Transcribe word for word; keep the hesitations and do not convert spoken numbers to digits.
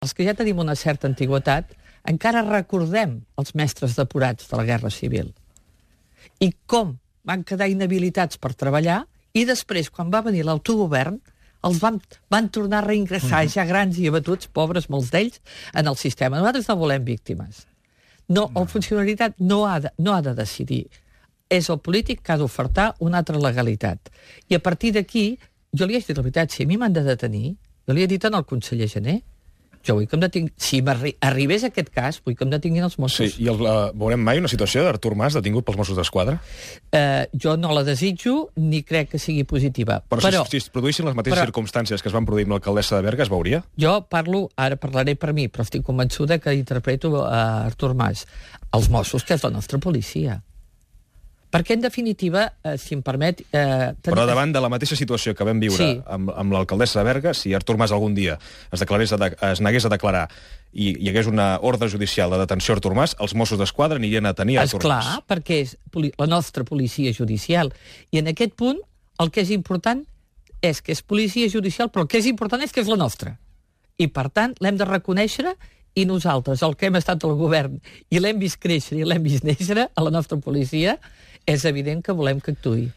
els que ja tenim una certa antigüitat, encara recordem els mestres depurats de la Guerra Civil. I com van quedar inhabilitats per treballar, i després, quan va venir l'autogovern, els van, van tornar a reingressar ja grans i abatuts, pobres molts d'ells, en el sistema. Nosaltres no volem víctimes. No, el funcionariat no ha de, no ha de decidir. És el polític que ha d'ofertar una altra legalitat. I a partir d'aquí, jo li he dit la veritat, si a mi m'han de detenir, jo li he dit al conseller Jané, jo vull que em detingui. Si arribés aquest cas, vull que em detinguin els Mossos. Sí, i el, uh, veurem mai una situació d'Artur Mas detingut pels Mossos d'Esquadra? Uh, jo no la desitjo, ni crec que sigui positiva. Però, però si, si es produïssin les mateixes però, circumstàncies que es van produir amb l'alcaldessa de Berga, es veuria? Jo parlo, ara parlaré per mi, però estic convençuda que interpreto uh, Artur Mas. Els Mossos, que és la nostra policia. Perquè, en definitiva, eh, si em permet... Eh, ten... Però davant de la mateixa situació que vam viure sí. amb, amb l'alcaldessa de Berga, si Artur Mas algun dia es, declarés a de, es negués a declarar i hi hagués una ordre judicial de detenció a Artur Mas, els Mossos d'Esquadra anirien a tenir a Artur Mas. Esclar, perquè és la nostra policia judicial. I en aquest punt, el que és important és que és policia judicial, però el que és important és que és la nostra. I, per tant, l'hem de reconèixer. I nosaltres, el que hem estat al govern i l'hem vist créixer i l'hem vist néixer a la nostra policia, és evident que volem que actuï.